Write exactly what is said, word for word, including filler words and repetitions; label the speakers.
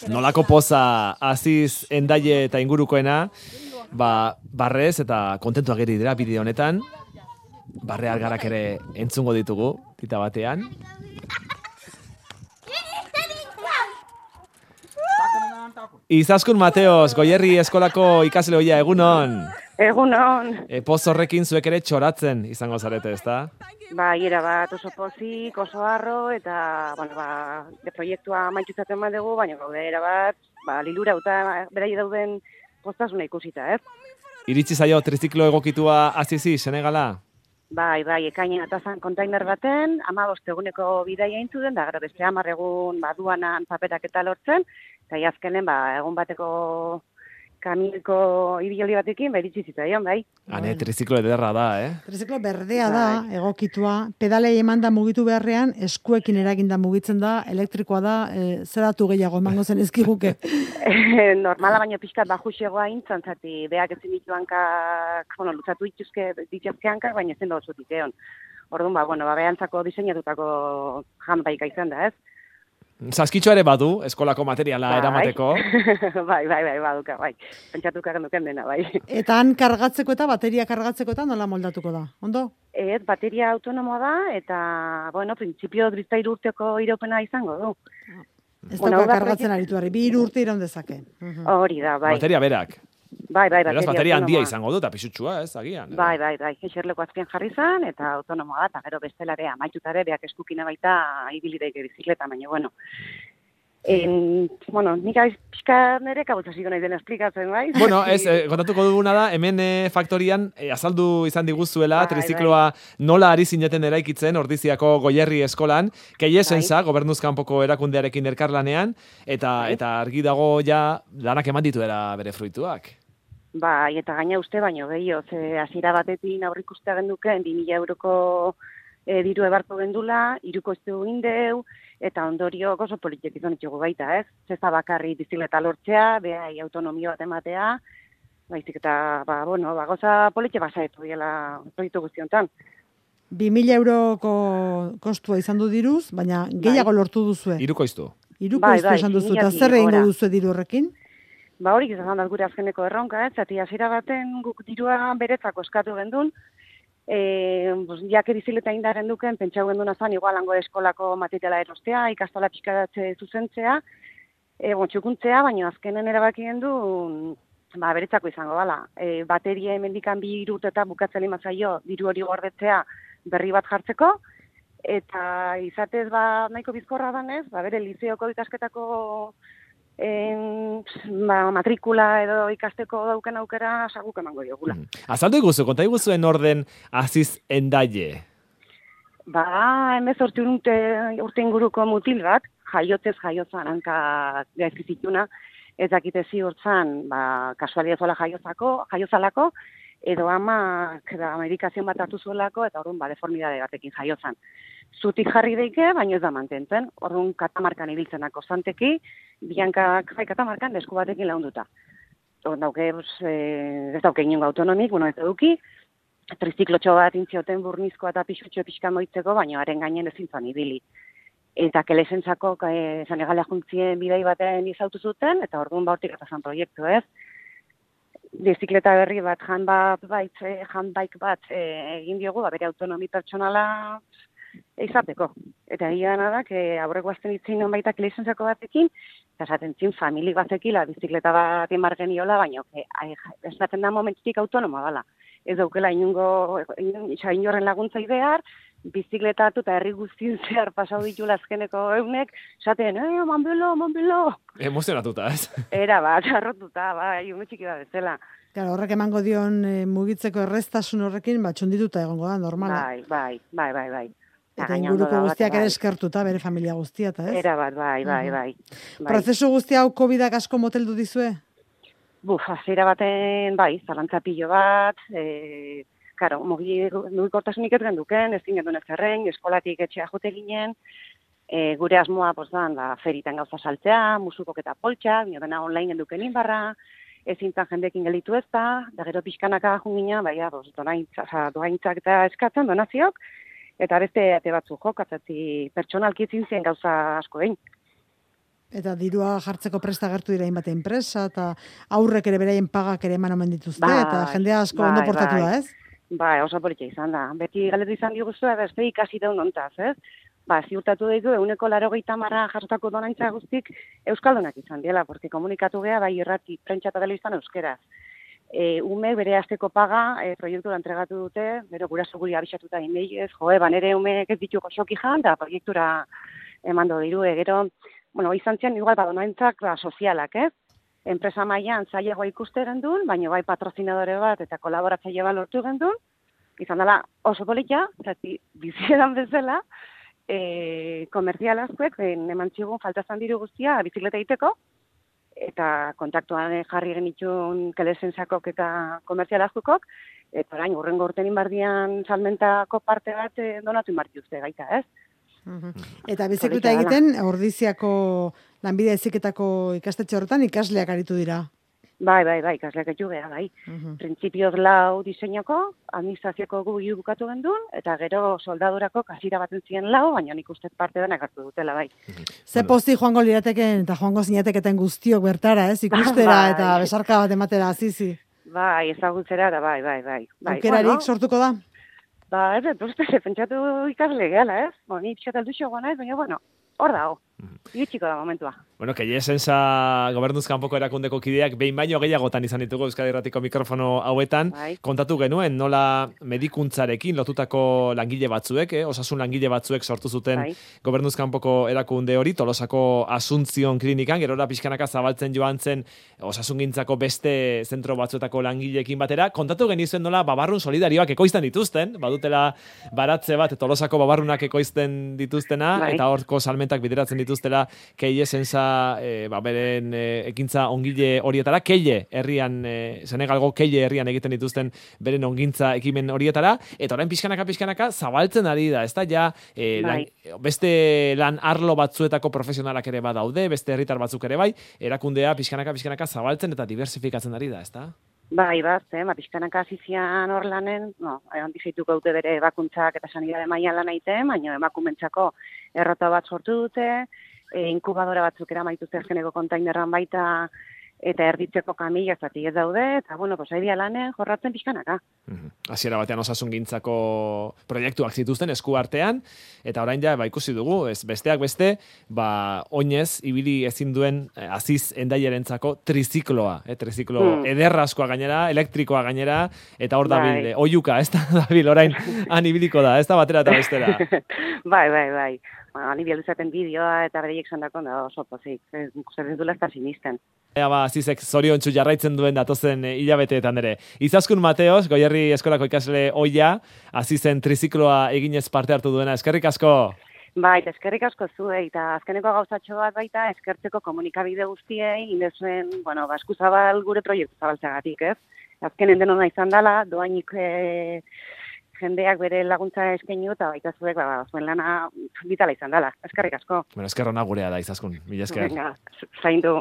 Speaker 1: Nolako poza Aziz Endaie eta ingurukoena, ba, barrez eta kontentuak geri dira bideo honetan. Barre algarak ere entzungo ditugu, tita batean. Izaskun Mateos, Goierri eskolako ikasle hoia, egunon.
Speaker 2: Egunon.
Speaker 1: E, poz horrekin zuek ere txoratzen izango zarete, ezta?
Speaker 2: Ba, era bat oso pozik, oso harro, eta, bueno, ba, de proiektua maitutzaten bat dugu, baina gaude era bat, ba, lilura eta berai dauden postasuna ikusita, ez?
Speaker 1: Iritsi zaio triziklo egokitua Azizi, Senegala?
Speaker 2: Bai, bai, ekainan atazan kontainer baten, ama bosteguneko bidaia intzuden, da gero beste hamar egun baduanan paperak eta lortzen, eta azkenen, ba, egun bateko kamilko ibioli batekin, ba, iritsi zitzaion, bai.
Speaker 1: Hane, triziklo ederra da, eh?
Speaker 3: Triziklo berdea da, egokitua. Pedalei eman da mugitu beharrean, eskuekin eraginda mugitzen da, elektrikoa da, e, zeratu gehiago emango zen ezkiguke.
Speaker 2: Normala baino pixkat bajuxegoa intzan, zati, beak ezin ditu hankak, bueno, lutzatu dituzke, dituzke hankak, baina ezin da osotik egon. Orduan, ba, bueno, ba, behantzako diseinatutako janbaika izan da, ez?
Speaker 1: Saskitxo ere badu, eskolako materiala
Speaker 2: bai.
Speaker 1: eramateko.
Speaker 2: bai, bai, bai, baduka, bai. Pentsatuka genduken dena, bai.
Speaker 3: Eta han kargatzeko eta bateria kargatzeko eta nola moldatuko da, ondo?
Speaker 2: Ez, bateria autonomoa da, eta, bueno, printzipio driztairu urteko iraupena izango du.
Speaker 3: Ez bueno, dauka kargatzen proiekt... aritu harri, bi hiru urte iraun dezake.
Speaker 2: Hori da, bai.
Speaker 1: Bateria berak.
Speaker 2: Bai, bai, bateria,
Speaker 1: bateria handia izango du, eta pisutxua, ez, agian.
Speaker 2: Bai, bai, bai, eserleko azpian jarri zan, eta autonomoa da, eta gero bestelare, amaitutare, beak eskukina baita, ibilideik bizikleta, baina, bueno. En, bueno, nik aiz pixka nire kabutaziko nahi den esplikatzen, bai?
Speaker 1: Bueno, ez, eh, kontatuko duguna da, hemen eh, faktorian eh, azaldu izan diguzuela, bai, trizikloa bai. Nola ari zineten eraikitzen, Ordiziako Goierri eskolan, keiesenza, bai. Gobernuzkanpoko erakundearekin elkarlanean, eta, bai. Eta argi dago ja lanak eman dituera bere fruituak.
Speaker 2: Bai, eta gaina uste baino gehiago, ze hasiera batetin aurrikustea genduken, bi mila euroko e, diru ebarko gendula, iruko iztegu indeu, eta ondorio oso politik izan ditugu baita, ez? Zeza bakarri bizikleta lortzea, behai autonomio bat ematea, baizik eta, ba, bueno, ba, goza politik basaetu diela proiektu guztiontan.
Speaker 3: Bi mila euroko kostua izan du diruz, baina gehiago bai. Lortu duzue.
Speaker 1: Iruko iztu.
Speaker 3: Iruko bai, iztu bai, esan duzu, eta zer egingo duzue diru horrekin?
Speaker 2: Ba horik izan da gure azkeneko erronka, ez? Zati hasiera baten guk dirua beretzako eskatu gendun, e, pues, jake bizikleta indaren duken, pentsau genduna zan, igualango eskolako materiala erostea, ikastola pixkadatze zuzentzea, e, bon, txukuntzea, baina azkenen erabaki gendu, ba, beretzako izango bala. E, bateria emendikan bi irut eta bukatzeli mazaio, diru hori gordetzea berri bat jartzeko, eta izatez ba, nahiko bizkorra danez, ba, bere lizeoko ikasketako En, ba, matrikula edo ikasteko dauken aukera saguk emango diogula.
Speaker 1: Mm. Azaldu iguzu, konta iguzuen orden Aziz Endaie?
Speaker 2: Ba, hemezortzi urte, urte inguruko mutil bat, jaiotzez jaiozan hanka gaizkizituna, ez dakite ziurtzan, ba, kasualiazola jaiozako, jaiozalako, edo ama da, medikazion bat hartu zuelako, eta orduan ba, deformidade batekin jaiozan. Zutik jarri deike, baina ez da mantentzen. Orduan katamarkan ibiltzenako zanteki, biankak jai katamarkan esku batekin launduta. Orduan dauke, ez dauke inungo autonomik, bueno, ez eduki, triziklotxo bat intzioten burnizkoa eta pixutxo pixka moitzeko, baina haren gainen ezin zan ibili. Eta kelesentzako e, Senegalea juntzien bidei baten izautu zuten, eta orduan ba hortik atazan proiektu, ez? Bizikleta berri bat, handbike bat, bat e, egin diogu, ba, bere autonomi pertsonala izateko. Eta egia da, que aurreko azten itzin baita lizentzako batekin, eta esaten zin famili batekila bizikleta bat emar geniola, baina esaten da momentutik autonomoa dela. Ez daukela inungo, inorren laguntza behar, bizikleta atu eta herri guztien zehar pasau ditula azkeneko eunek, esaten, eh, manbelo, manbelo.
Speaker 1: Emozionatuta, ez?
Speaker 2: Era bat, arrotuta, bai, ume txiki da bezala.
Speaker 3: Claro, horrek emango dion e, mugitzeko erreztasun horrekin, bat txondituta egongo da, normala.
Speaker 2: Bai, bai, bai, bai, bai.
Speaker 3: Eta inguruko guztiak ere eskertuta, bere familia guztia, eta ez?
Speaker 2: Era bat, bai, bai, bai.
Speaker 3: Prozesu guztia hau kovidak asko moteldu dizue?
Speaker 2: Buf, hasiera baten, bai, zalantza pilo bat, e, karo, mugikortasunik ez genduken, ez zingendun ez zerren, eskolatik etxea jote ginen, e, gure asmoa, pues, dan, ba, feritan gauza saltzea, musukok eta poltsak, nio dena online genduken inbarra, ezintzan jendekin gelitu ez da, da gero pixkanaka jungina, baina, doaintzak eta eskatzen, donazioak, eta beste ate batzu jokatzatzi pertsonalki zintzen gauza asko egin.
Speaker 3: Eta dirua jartzeko presta gertu dira inbate enpresa, eta aurrek ere beraien pagak ere eman omen dituzte,
Speaker 2: bai,
Speaker 3: eta jendea asko
Speaker 2: bai,
Speaker 3: ondo portatu
Speaker 2: bai.
Speaker 3: da, ez?
Speaker 2: Bai, oso politxe izan da. Beti galetu izan diguzu, beste ikasi daun ontaz, ez? Ba, ziurtatu ditu, euneko larogeita marra jasotako donaintza guztik euskaldunak izan diela, porque komunikatu geha, bai irrati, prentsa eta telebistan euskeraz. E, ume bere azteko paga e, proiektura entregatu dute, bero guraso guri abisatuta inmeiez, joe, banere umeek ez dituko xoki jan, da proiektura emando diru, e, gero, bueno, izan zian, igual, badonaintzak ba, sozialak, ez? Enpresa mailan zailagoa ikuste gendun, baina bai patrozinadore bat eta kolaboratzaile bat lortu gendun, izan dela oso polita, zati bizieran bezala, e, komerzial askoek, eman zigun faltazan diru guztia bizikleta egiteko, eta kontaktuan jarri genitxun kelesensakok eta komerzial askokok, eta orain, urrengo urten inbardian salmentako parte bat e, donatu inbartiuzte gaita, ez?
Speaker 3: Uhum. Eta bizikleta egiten, Ordiziako lanbide heziketako ikastetxe horretan ikasleak aritu dira.
Speaker 2: Bai, bai, bai, ikasleak etxu geha, bai.
Speaker 3: Uhum.
Speaker 2: Printzipioz lau diseinoko, administrazioko gu bukatu gendun, eta gero soldadurako kasira baten ziren lau, baina nik uste parte denak hartu dutela, bai.
Speaker 3: Ze posti joango lirateken eta joango zinateketen guztiok bertara, ez? Ikustera
Speaker 2: bai.
Speaker 3: eta besarka bat ematera, azizi.
Speaker 2: Bai, ezagutzera, da, bai, bai, bai. bai.
Speaker 3: Aukerarik
Speaker 2: Bueno,
Speaker 3: sortuko da?
Speaker 2: ba, ez, ez, pentsatu ikasle gehala, ez? Bo, ni pixat alduxo guana ez, baina, bueno, hor dago. Iritsiko da momentua.
Speaker 1: Bueno, que Esensa gobernuzkanpoko erakundeko kideak behin baino gehiagotan izan ditugu Euskadi Irratiko mikrofono hauetan,
Speaker 2: Bai.
Speaker 1: kontatu genuen nola medikuntzarekin lotutako langile batzuek, eh, osasun langile batzuek sortu zuten
Speaker 2: Bai.
Speaker 1: gobernuzkanpoko erakunde hori, Tolosako Asuntzion klinikan, gerora pixkanaka zabaltzen joan zen osasungintzako beste zentro batzuetako langileekin batera, kontatu genizuen nola babarrun solidarioak ekoizten dituzten, badutela baratze bat Tolosako babarrunak ekoizten dituztena,
Speaker 2: Bai.
Speaker 1: eta horko salmentak bideratzen dituztela Keile Esensa e, ba, beren e, ekintza ongile horietara, Keile herrian, e, Senegalgo Keile herrian egiten dituzten beren ongintza ekimen horietara, eta orain pixkanaka pixkanaka zabaltzen ari da, ez da, ja, e,
Speaker 2: Bai.
Speaker 1: lan, beste lan arlo batzuetako profesionalak ere badaude, beste herritar batzuk ere bai, erakundea pixkanaka pixkanaka zabaltzen eta diversifikatzen ari da, ez da?
Speaker 2: Bai, bat, eh, ba, pixkanaka hasizian hor lanen, no, egon dizeituko dute bere bakuntzak eta sanidade mailan lan egiten, baina emakumentzako errota bat sortu dute, e, inkubadora batzuk eramaituzte azkeneko kontainerran baita, eta erditzeko kamila zati ez daude, eta bueno, pues aidia lanen jorratzen pixkanaka.
Speaker 1: Hasiera batean osasungintzako proiektuak zituzten esku artean, eta orain ja ba, ikusi dugu, ez besteak beste, ba, oinez, ibili ezin duen eh, aziz endaiarentzako trizikloa, eh, triziklo
Speaker 2: Mm.
Speaker 1: ederrazkoa gainera, elektrikoa gainera, eta hor
Speaker 2: Bai.
Speaker 1: dabil, eh, oiuka, ez da, dabil, orain, han ibiliko da, ez da batera eta bestera.
Speaker 2: bai, bai, bai. Bueno, ani bialuzaten bideoa eta bereiek sandako da oso pozik. Zer ez dula ez da sinisten.
Speaker 1: Ea ba, azizek zoriontsu jarraitzen duen datozen eh, hilabeteetan ere. Izaskun Mateos, Goierri eskolako ikasle oia, azizen trizikloa eginez parte hartu duena. Eskerrik asko!
Speaker 2: Bai, eta eskerrik asko zuei, eta azkeneko gauzatxo bat baita eskertzeko komunikabide guztiei, indezuen, bueno, ba, eskuzabal gure proiektu zabaltzagatik, ez? Azkenen denona izan dela, doainik e, jendeak bere laguntza eskainu eta baita zuek, ba, zuen lana vitala izan dela. Eskerrik asko.
Speaker 1: Bueno, eskerrona gurea da, Izaskun. Mila esker.
Speaker 2: Venga, zaindu.